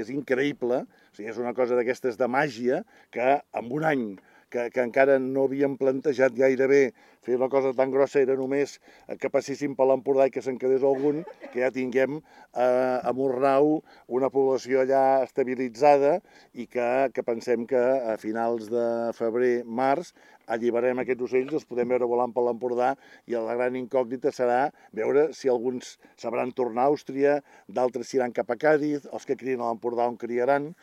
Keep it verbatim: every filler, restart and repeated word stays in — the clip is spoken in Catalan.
és increïble, o sigui, és una cosa d'aquestes de màgia que en un any que, que encara no havíem plantejat gairebé fer una cosa tan grossa, era només que passessin per l'Empordà i que se'n quedés algun, que ja tinguem eh, a Murnau una població allà estabilitzada i que, que pensem que a finals de febrer, març, alliberem aquests ocells, els podem veure volant per l'Empordà i la gran incògnita serà veure si alguns sabran tornar a Àustria, d'altres iran cap a Càdiz, els que crien a l'Empordà on criaran,